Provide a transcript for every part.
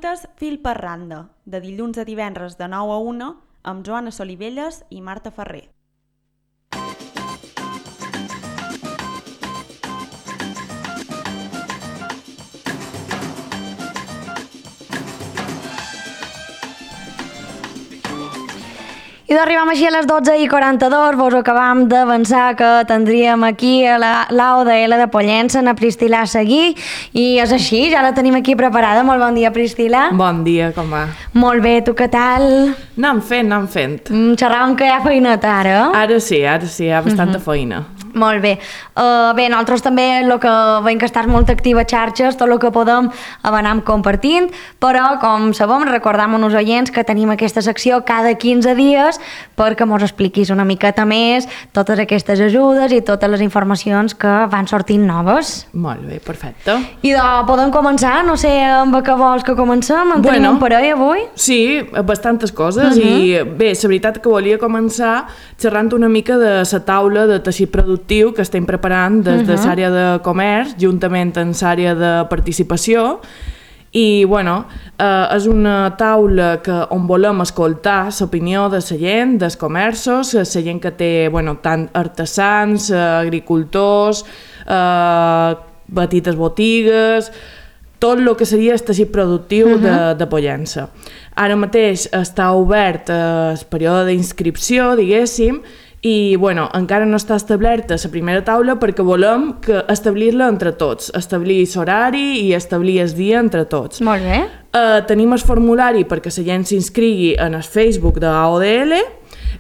minutes fil per randa, de dilluns a divendres de 9 a 1, amb Joana Solivelles i Marta Ferrer. I arribam així a les 12:42, vos acabam d'avançar que tindríem aquí a l'AODL de Pollença, a Priscila a seguir, i és així, ja la tenim aquí preparada. Molt bon dia, Priscila. Bon dia, com va? Molt bé, tu què tal? Anem fent. Xerràvem que hi ha feineta ara. Ara sí, hi ha bastanta feina. Molt bé. Bé, nosaltres també el que veiem que estàs molt activa a xarxes, tot el que podem anem compartint, però com sabem, recordam als oients que tenim aquesta secció cada 15 dies perquè mos expliquis una miqueta més totes aquestes ajudes i totes les informacions que van sortint noves. Molt bé, perfecte. I podem començar? No sé amb què vols que comencem? En tenim un parell avui? Sí, bastantes coses i bé, la veritat que volia començar xerrant una mica de la taula de teixit productiu que estem preparant des de l'àrea de comerç, juntament amb l'àrea de participació. I, bueno, és una taula on volem escoltar l'opinió de la gent, dels comerços, la gent que té, bueno, tant artesans, agricultors, petites botigues, tot el que seria el teixit productiu de Pollença. Ara mateix està obert el període d'inscripció, diguéssim, i bueno, encara no està establerta la primera taula perquè volem establir-la entre tots, establir l'horari i establir el dia entre tots. Molt bé. Tenim el formulari perquè la gent s'inscrigui en el Facebook de AODL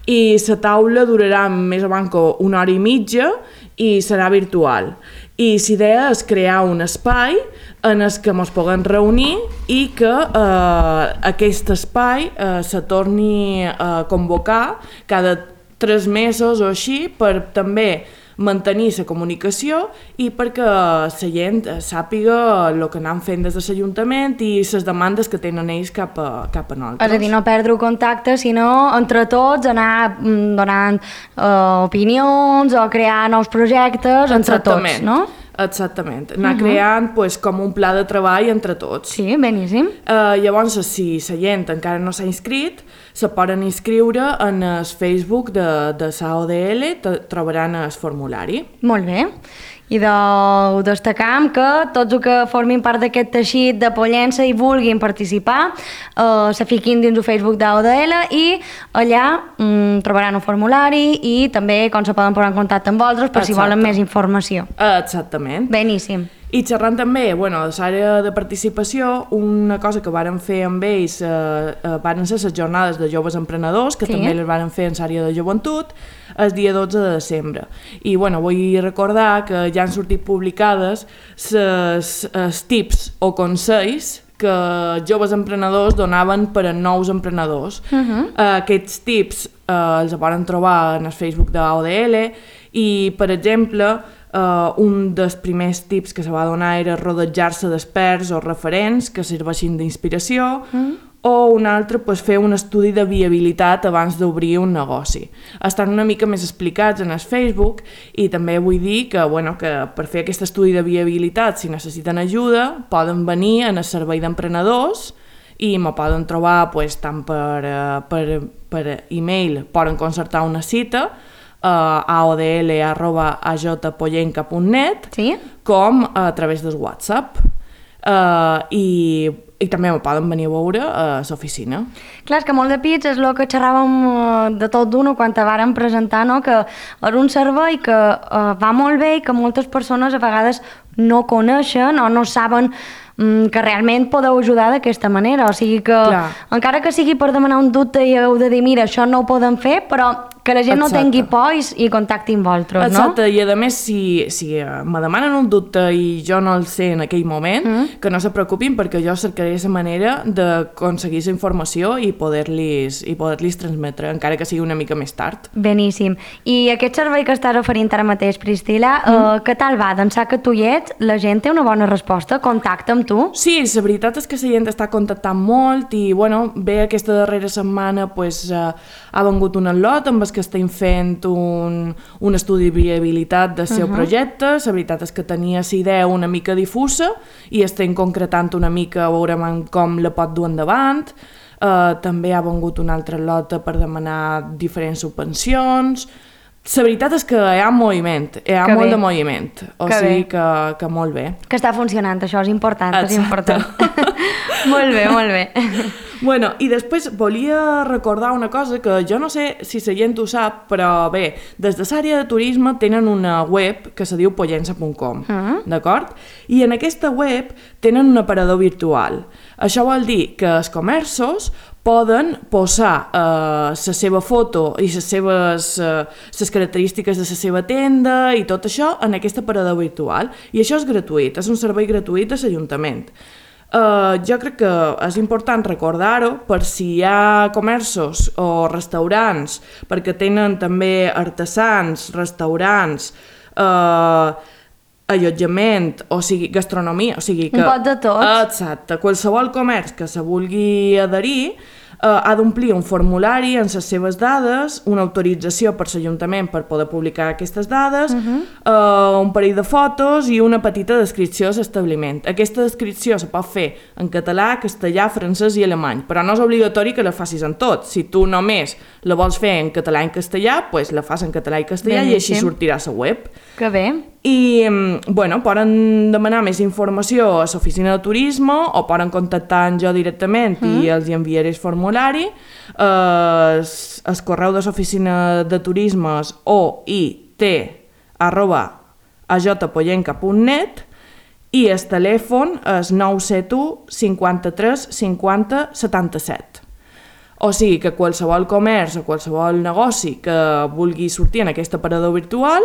i la taula durarà més o menys una hora i mitja i serà virtual. I l'idea és crear un espai en el que ens puguem reunir i que aquest espai se torni a convocar cada 3 mesos o així per també mantenir la comunicació i perquè la gent sàpiga el que anem fent des de l'Ajuntament i les demandes que tenen ells cap a nosaltres. És a dir, no perdre contacte, sinó entre tots anar donant opinions o crear nous projectes entre tots, no? Exactament, anar creant com un pla de treball entre tots. Sí, beníssim. Llavors, si la gent encara no s'ha inscrit, se poden inscriure en el Facebook de l'AODL, trobaran el formulari. Molt bé. I destacam que tots els que formin part d'aquest teixit de Pollença i vulguin participar se fiquin dins el Facebook d'AODL i allà trobaran un formulari i també com se poden posar en contacte amb vosaltres per si volen més informació. Exactament. Beníssim. I xerrant també, de l'àrea de participació, una cosa que vàrem fer amb ells varen ser les jornades de joves emprenedors, que també les vàrem fer en l'àrea de joventut, el dia 12 de desembre. I vull recordar que ja han sortit publicades els tips o consells que joves emprenedors donaven per a nous emprenedors. Aquests tips els poden trobar en el Facebook d'AODL i, per exemple, un dels primers tips que se va donar era rodejar-se d'experts o referents que serveixin d'inspiració o un altre, fer un estudi de viabilitat abans d'obrir un negoci. Estan una mica més explicats en el Facebook i també vull dir que per fer aquest estudi de viabilitat, si necessiten ajuda, poden venir en el servei d'emprenedors i me poden trobar tant per e-mail, poden concertar una cita aodl@ajpollenca.net com a través del WhatsApp i també me poden venir a veure a l'oficina. Clar, és que molt de pits és el que xerràvem de tot d'una quan te vàrem presentar, no? Que és un servei que va molt bé i que moltes persones a vegades no coneixen o no saben que realment podeu ajudar d'aquesta manera, o sigui que encara que sigui per demanar un dubte i heu de dir mira, això no ho podem fer, però que la gent no tingui por i contactin vosaltres, no? Exacte, i a més si me demanen un dubte i jo no el sé en aquell moment, que no se preocupin perquè jo cercaré la manera d'aconseguir la informació i poder-los transmetre, encara que sigui una mica més tard. Beníssim. I aquest servei que estàs oferint ara mateix, Priscila, què tal va? D'ençà que tu hi ets, la gent té una bona resposta? Contacta amb tu? Sí, la veritat és que la gent està contactant molt i bé, aquesta darrera setmana ha vengut un lot amb que estem fent un estudi de viabilitat del seu projecte. La veritat és que tenia la idea una mica difusa i estem concretant una mica, veurem com la pot dur endavant. També ha vengut una altra lota per demanar diferents subvencions. La veritat és que hi ha moviment, molt de moviment, o sigui que molt bé. Que està funcionant, això és important, és important. Molt bé, molt bé. Bueno, i després volia recordar una cosa que jo no sé si la gent ho sap, però bé, des de l'àrea de turisme tenen una web que se diu pollença.com, d'acord? I en aquesta web tenen un aparador virtual. Això vol dir que els comerços poden posar la seva foto i les característiques de la seva tenda i tot això en aquest aparador virtual. I això és gratuït, és un servei gratuït de l'Ajuntament. Jo crec que és important recordar-ho per si hi ha comerços o restaurants, perquè tenen també artesans, restaurants, allotjament, o sigui, gastronomia, o sigui que... Un pot de tot. Exacte. Qualsevol comerç que se vulgui adherir ha d'omplir un formulari amb les seves dades, una autorització per l'Ajuntament per poder publicar aquestes dades, un parell de fotos i una petita descripció de l'establiment. Aquesta descripció se pot fer en català, castellà, francès i alemany, però no és obligatori que la facis en tot. Si tu només la vols fer en català i en castellà, doncs la fas en català i castellà i així sortirà a la web. Que bé. I, bueno, poden demanar més informació a l'oficina de turisme o poden contactar amb jo directament i els enviaré el formulari. El correu de l'oficina de turisme és oit@ajpollenca.net i el telèfon és 971 53 50 77. O sigui que qualsevol comerç o qualsevol negoci que vulgui sortir en aquest aparador virtual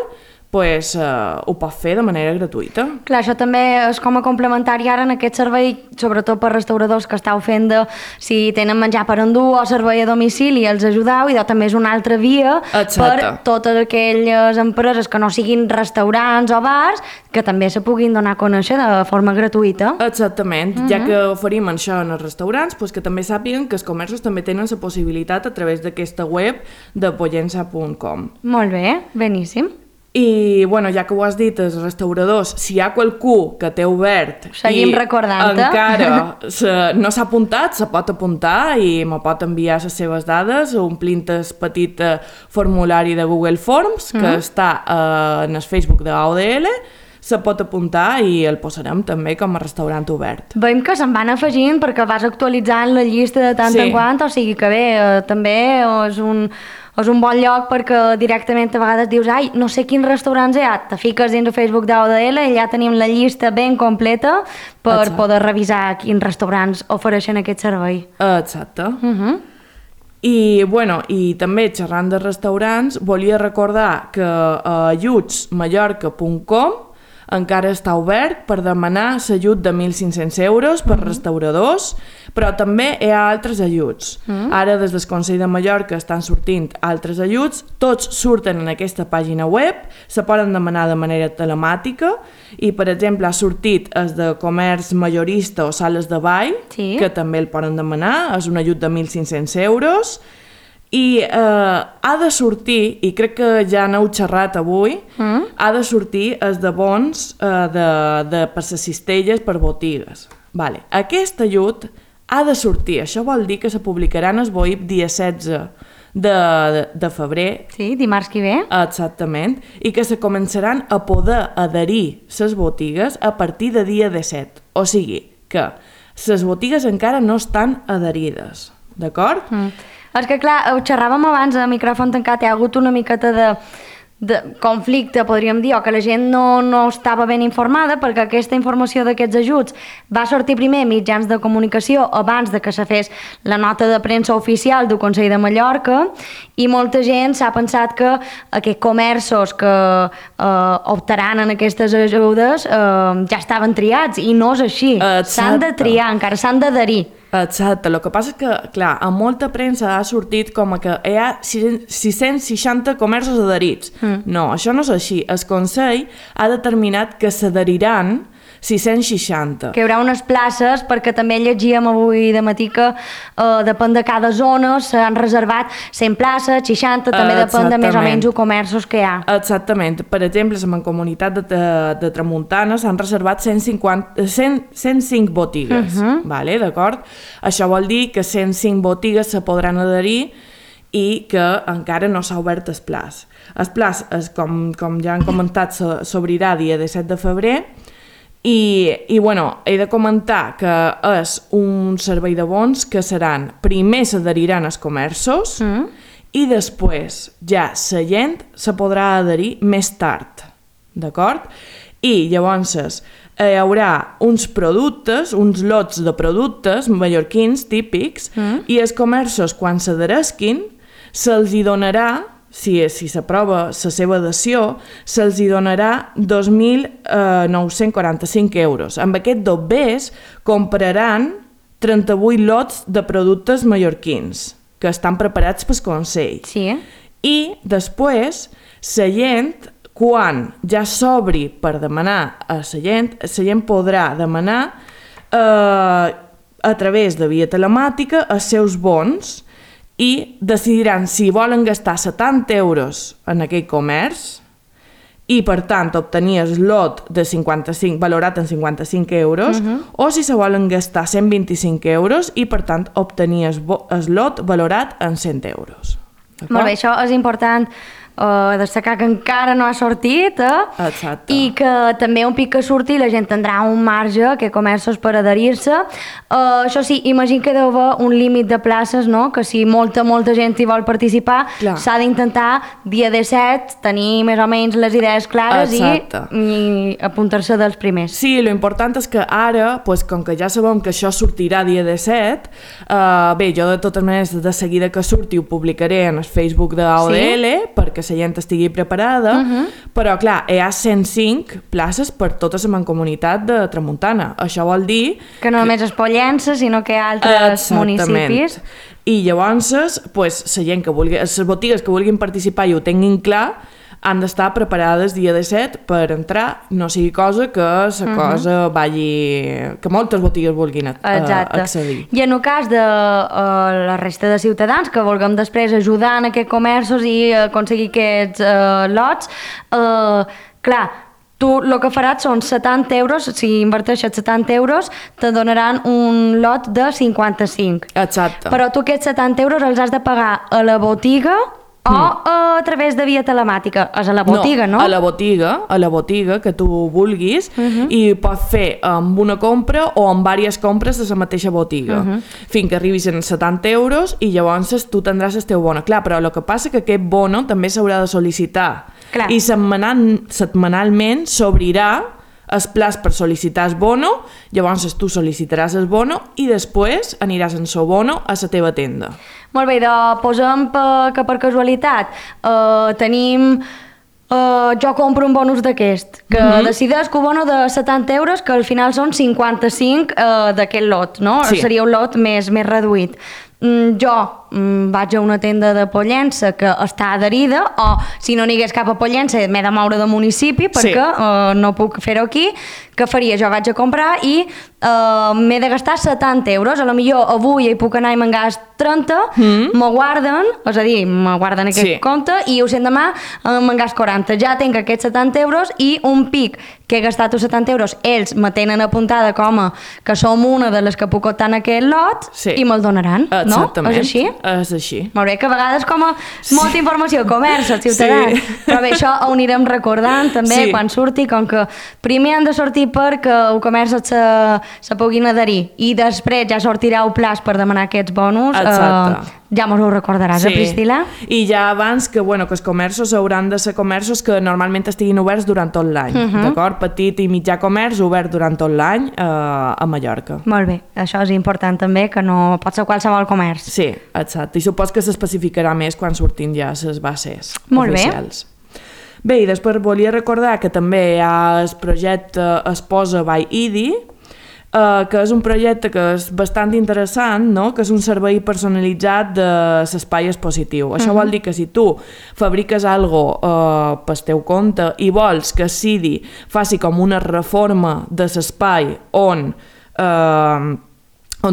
ho pot fer de manera gratuïta. Clar, això també és com a complementari ara en aquest servei, sobretot per restauradors que estàu fent de si tenen menjar per endur o servei a domicili i els ajudeu, i també és una altra via per totes aquelles empreses que no siguin restaurants o bars que també se puguin donar a conèixer de forma gratuïta. Exactament, ja que oferim això en els restaurants, que també sàpiguen que els comerços també tenen la possibilitat a través d'aquesta web de pollença.com. Molt bé, beníssim. I, bueno, ja que ho has dit, els restauradors, si hi ha qualcú que té obert seguim recordant-te. Encara no s'ha apuntat, se pot apuntar i me pot enviar les seves dades omplint el petit formulari de Google Forms que està en el Facebook de AODL, se pot apuntar i el posarem també com a restaurant obert. Veiem que se'n van afegint perquè vas actualitzant la llista de tant en quant, o sigui que bé, també és un bon lloc perquè directament a vegades dius no sé quins restaurants hi ha, te fiques dins el Facebook d'AODL i ja tenim la llista ben completa per poder revisar quins restaurants ofereixen aquest servei. Exacte. I, bueno, i també xerrant de restaurants, volia recordar que ajutsmallorca.com encara està obert per demanar l'ajut de 1.500 euros per restauradors, però també hi ha altres ajuts. Ara des del Consell de Mallorca estan sortint altres ajuts, tots surten en aquesta pàgina web, se poden demanar de manera telemàtica i, per exemple, ha sortit el de comerç majorista o sales de ball, que també el poden demanar, és un ajut de 1.500 euros, i ha de sortir, i crec que ja n'heu xerrat avui, ha de sortir els de bons per les cistelles per botigues. Aquest ajut ha de sortir, això vol dir que se publicaran el BOIP dia 16 de febrer. Sí, dimarts que ve. Exactament, i que se començaran a poder adherir les botigues a partir de dia 17. O sigui que les botigues encara no estan adherides, d'acord? És que, clar, ho xerràvem abans a micròfon tancat, hi ha hagut una miqueta de conflicte, podríem dir, o que la gent no estava ben informada, perquè aquesta informació d'aquests ajuts va sortir primer a mitjans de comunicació abans de que se fes la nota de premsa oficial del Consell de Mallorca, i molta gent s'ha pensat que aquests comerços que optaran en aquestes ajudes ja estaven triats, i no és així. S'han de triar encara, s'han d'adherir. Exacte, el que passa és que, clar, a molta premsa ha sortit com que hi ha 660 comerços adherits. No, això no és així. El Consell ha determinat que s'adheriran 660. Que hi haurà unes places, perquè també llegíem avui de matí que depèn de cada zona, s'han reservat 100 places, 60, també depèn de més o menys els comerços que hi ha. Exactament. Per exemple, a la Mancomunitat de Tramuntana s'han reservat 105 botigues, vale, d'acord? Això vol dir que 105 botigues se podran adherir i que encara no s'ha obert el plaç. El plaç, com ja han comentat, s'obrirà dia 17 de febrer. I bueno, he de comentar que és un servei de bons que seran, primer s'adheriran als comerços i després ja la gent se podrà adherir més tard, d'acord? I llavors hi haurà uns productes, uns lots de productes mallorquins típics i els comerços quan s'adheresquin se'ls hi donarà, si s'aprova la seva adhesió, se'ls hi donarà 2.945 euros. Amb aquest dobbers compraran 38 lots de productes mallorquins que estan preparats pel Consell. Sí. I després, la gent, quan ja s'obri per demanar a la gent podrà demanar a través de via telemàtica els seus bons i decidiran si volen gastar 70 euros en aquell comerç i, per tant, obtenir el lot de 55, valorat en 55 euros o si se volen gastar 125 euros i, per tant, obtenir el lot valorat en 100 euros. Molt bé, això és important destacar que encara no ha sortit Exacte. I que també un pic que surti la gent tindrà un marge que comerços per adherir-se. Això sí, imagino que deu haver un límit de places, no? Que si molta gent hi vol participar s'ha d'intentar dia 17 tenir més o menys les idees clares i apuntar-se dels primers. Sí, lo important és que ara, pues, com que ja sabem que això sortirà dia 17, bé, jo de totes maneres de seguida que surti ho publicaré en el Facebook d'AODL perquè la gent estigui preparada, però clar, hi ha 105 places per tota la Mancomunitat de Tramuntana. Això vol dir... Que no només és Pollença, sinó que hi ha altres municipis. I llavors, pues, la gent que vulgui, les botigues que vulguin participar i ho tinguin clar, han d'estar preparades dia 17 per entrar, no sigui cosa que la cosa vagi... que moltes botigues vulguin accedir. I en el cas de la resta de ciutadans que vulguem després ajudar en aquests comerços i aconseguir aquests lots, clar, tu el que faràs són 70 euros, si inverteixes 70 euros, te donaran un lot de 55. Exacte. Però tu aquests 70 euros els has de pagar a la botiga o a través de via telemàtica? És a la botiga, no? A la botiga que tu vulguis i pots fer amb una compra o amb diverses compres de la mateixa botiga fins que arribis en 70 euros i llavors tu tindràs el teu bono. Clar, però el que passa és que aquest bono també s'haurà de sol·licitar i setmanalment s'obrirà el plaç per sol·licitar el bono, llavors tu sol·licitaràs el bono i després aniràs en el bono a la teva tenda. Molt bé, posem que per casualitat tenim... jo compro un bonus d'aquest, que decideix que un bono de 70 euros, que al final són 55 d'aquest lot, no? Sí. Seria un lot més reduït. Jo vaig a una tenda de Pollença que està adherida, o si no n'hi hagués cap a Pollença m'he de moure de municipi perquè no puc fer-ho aquí. Què faria? Jo vaig a comprar i m'he de gastar 70 euros, a lo millor avui hi puc anar i me'n gast 30, me guarden, és a dir, me guarden aquest compte i ho sent demà me'n gast 40. Ja tinc aquests 70 euros i un pic que he gastat els 70 euros, ells me tenen apuntada com a que som una de les que puc optar en aquest lot i me'l donaran, no? Exactament. És així? És així. Molt bé, que a vegades com a molta informació, comerç, els ciutadans, però bé, això ho anirem recordant també quan surti, com que primer han de sortir perquè el comerç se puguin adherir i després ja sortirà el plaç per demanar aquests bonus. Ja mos ho recordaràs, Priscila? I ja abans que els comerços hauran de ser comerços que normalment estiguin oberts durant tot l'any, d'acord? Petit i mitjà comerç obert durant tot l'any a Mallorca. Molt bé, això és important també, que no pot ser qualsevol comerç. Sí, exacte, i supos que s'especificarà més quan surtin ja les bases oficials. Bé, i després volia recordar que també hi ha el projecte Esposa by IDI, que és un projecte que és bastant interessant, no? Que és un servei personalitzat de l'espai expositiu. Això vol dir que si tu fabriques algo pel teu compte i vols que Cidi faci com una reforma de l'espai on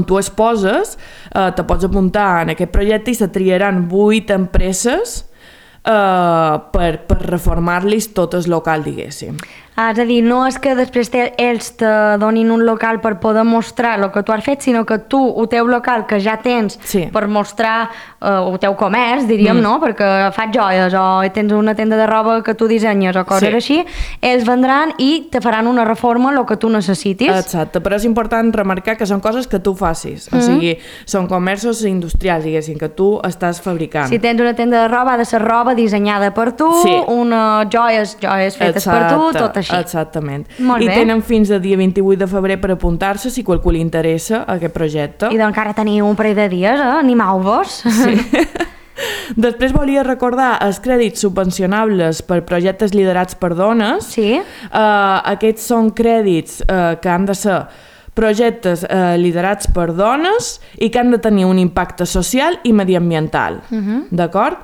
tu es poses, te pots apuntar en aquest projecte i se triaran 8 empreses per reformar-los tot el local, diguéssim. És a dir, no és que després ells te donin un local per poder mostrar el que tu has fet, sinó que tu, el teu local que ja tens per mostrar el teu comerç, diríem, no? Perquè fas joies o tens una tenda de roba que tu dissenyes o coses així, ells vendran i te faran una reforma el que tu necessitis. Exacte, però és important remarcar que són coses que tu facis, o sigui, són comerços industrials, diguéssim, que tu estàs fabricant. Si tens una tenda de roba, ha de ser roba dissenyada per tu, unes joies fetes per tu, tot així. Exactament. I tenen fins a dia 28 de febrer per apuntar-se si qualcú li interessa aquest projecte. I doncs encara teniu un parell de dies, animau-vos. Sí. Després volia recordar els crèdits subvencionables per projectes liderats per dones. Sí. Aquests són crèdits que han de ser projectes liderats per dones i que han de tenir un impacte social i mediambiental, d'acord?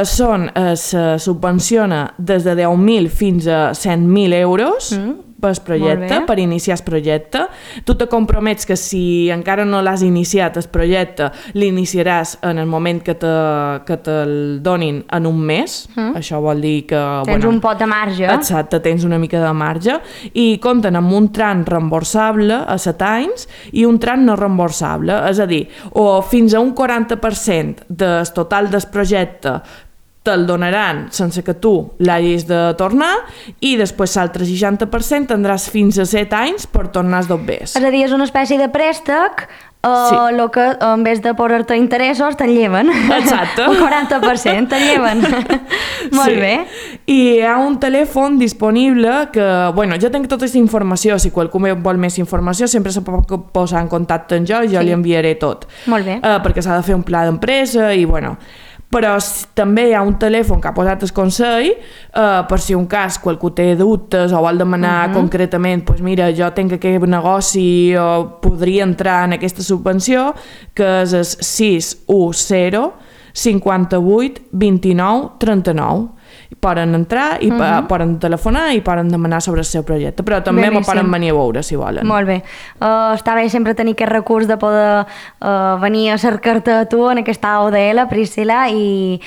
Se subvenciona des de 10.000 fins a 100.000 euros per projecte, per iniciar el projecte. Tu te compromets que si encara no l'has iniciat el projecte, l'iniciaràs en el moment que te'l donin en un mes. Això vol dir que... Tens un pot de marge. Exacte, tens una mica de marge. I compten amb un tram reemborsable a 7 anys i un tram no reemborsable. És a dir, o fins a un 40% del total del projecte te'l donaran sense que tu l'hagis de tornar i després l'altre 60% tindràs fins a 7 anys per tornar els dobbers. És a dir, és una espècie de préstec el que en vez de posar-te interessos te'n lleven. Exacte. Un 40% te'n lleven. Molt bé. I hi ha un telèfon disponible que, bueno, jo tenc tota aquesta informació, si qualcú vol més informació sempre se pot posar en contacte amb jo i jo li enviaré tot. Molt bé. Perquè s'ha de fer un pla d'empresa i, bueno... Però també hi ha un telèfon que ha posat el Consell per si un cas qualcú té dubtes o vol demanar concretament, doncs mira, jo tinc aquest negoci o podria entrar en aquesta subvenció, que és el 610 58 29 39. Poden entrar i poden telefonar i poden demanar sobre el seu projecte, però també m'ho poden venir a veure si volen. Molt bé. Està bé sempre tenir aquest recurs de poder venir a cercar-te a tu en aquesta ODL, Priscila, i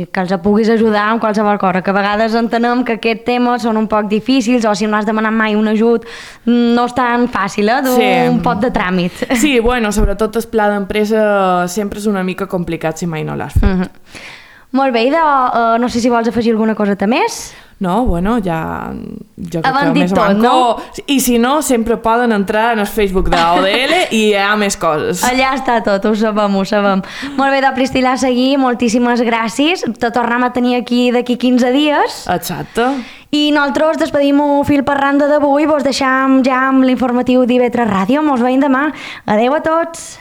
que els puguis ajudar amb qualsevol cosa, que a vegades entenem que aquests temes són un poc difícils o si no has demanat mai un ajut no és tan fàcil, d'un pot de tràmit. Sí, bueno, sobretot el pla d'empresa sempre és una mica complicat si mai no l'has fet. Molt bé, no sé si vols afegir alguna coseta més? No, bueno, ja... Jo crec Hem que dit més tot, manco. no? I si no, sempre poden entrar en el Facebook de ODL i hi ha més coses. Allà està tot, ho sabem, ho sabem. Molt bé, de Priscila, seguir, moltíssimes gràcies. Te tornem a tenir aquí d'aquí 15 dies. Exacte. I nosaltres despedim-ho fil per randa d'avui, vos deixam ja amb l'informatiu d'IV3 Ràdio. Mos veiem demà. Adeu a tots.